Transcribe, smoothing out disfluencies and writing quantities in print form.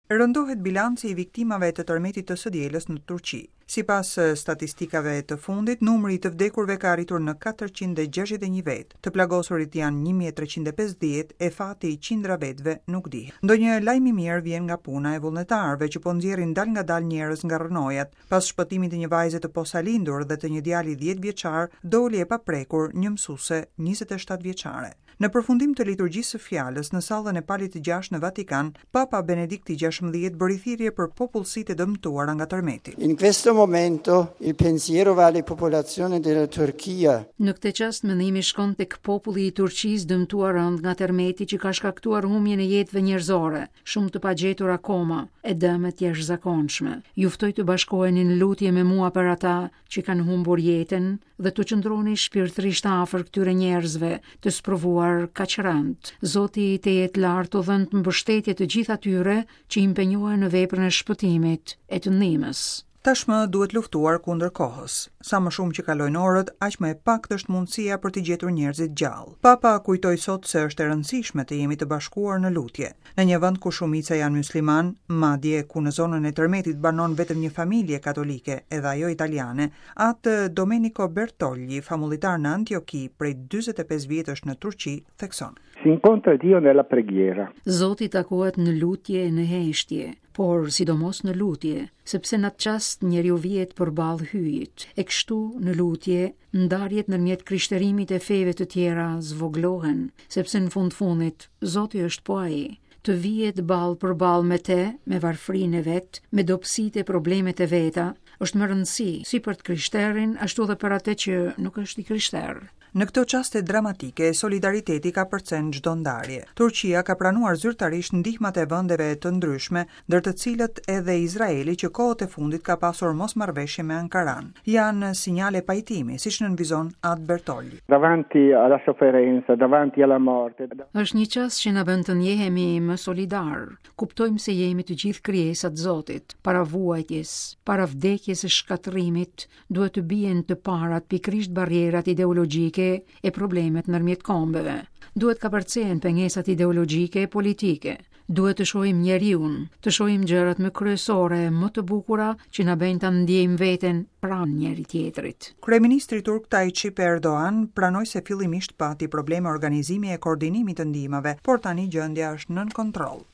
Rëndohet bilanci i viktimave të tërmetit të së dielës në Turqi. Sipas statistikave të fundit, numri i të vdekurve ka arritur në 461 vetë. Të plagosurit janë 1350 e fati i qindra vetëve nuk dihet. Ndonjë lajm i mirë vjen nga puna e vullnetarëve që po nxjerrin dalëngadalë njerëz nga rrënojat. Pas shpëtimit të një vajze të posalindur dhe të një djali 10 vjeçar, doli e paprekur një mësuese 27 vjeçare. Në përfundim të liturgjisë së fjalës në sallën e Palit të Gjashtë në Vatikan, Papa Benedikti XVI bëri thirrje për popullsitë e dëmtuara nga tërmeti. In questo momento il pensiero va alle popolazioni della Turchia. Në këtë çast mendimi shkon tek populli i Turqisë dëmtuar rëndë nga tërmeti që ka shkaktuar humbjen e jetëve njerëzore, shumë të pagjetur akoma, e dëme të jashtëzakonshme. Ju ftoj të bashkoheni në lutje me mua për ata që kanë humbur jetën dhe t'u qëndroni shpirtërisht afër këtyre njerëzve të sprovuar kaq rëndë. Zoti i lartë u dhëntë mbështetje të gjithë atyre që impenjohen në veprën e shpëtimit e të ndihmës. Tashmë duhet luftuar kundër kohës. Sa më shumë që kalojnë orët, aq më e paktë është mundësia për të gjetur njerëzit gjallë. Papa kujtoi sot se është e rëndësishme të jemi të bashkuar në lutje. Në një vend ku shumica janë myslimanë, madje ku në zonën e tërmetit banon vetëm një familje katolike, edhe ajo italiane, Atë Domenico Bertogli, famullitar në Antioki prej 45 vjetësh në Turqi, thekson. Si incontra Dio nella preghiera. Zoti takohet në lutje e në heshtje, por sidomos në lutje, sepse në atë çast njeriu vihet përballë Hyjit. E kështu, në lutje, ndarjet ndërmjet krishterimit e feve të tjera zvogëlohen, sepse në fund fundit, Zoti është po ai. Të vihet ballë për ballë me te, me varfërinë e vet, me dobësitë e problemet e veta, është me rëndësi, si për të krishterin, ashtu dhe për atë që nuk është i krishterë. Në këto çaste dramatike, solidariteti kapërcen çdo ndarje. Turqia ka pranuar zyrtarisht ndihmat e vendeve të ndryshme, ndër të cilët edhe Izraeli që kohët e fundit ka pasur mosmarrëveshje me Ankaran. Janë sinjale pajtimi, siç nënvizon At Bertogli. Davanti alla sofferenza, davanti alla morte. Është një çast që na bën të ndjehemi më solidarë. Kuptojmë se jemi të gjithë krijesa të Zotit. Para vuajtjes, para vdekjes e shkatërrimit, duhet të bien të parat pikërisht barrierat ideologjike e problemet ndërmjet kombeve. Duhet kapërcehen pengesat ideologjike e politike. Duhet të shohim njeriun, të shohim gjërat më kryesore, më të bukura që na bëjnë ta ndjejmë veten pranë njëri-tjetrit. Kryeministri turk Tayyip Erdogan pranoi se fillimisht pati probleme organizimi e koordinimi të ndihmave, por tani gjendja është nën kontroll.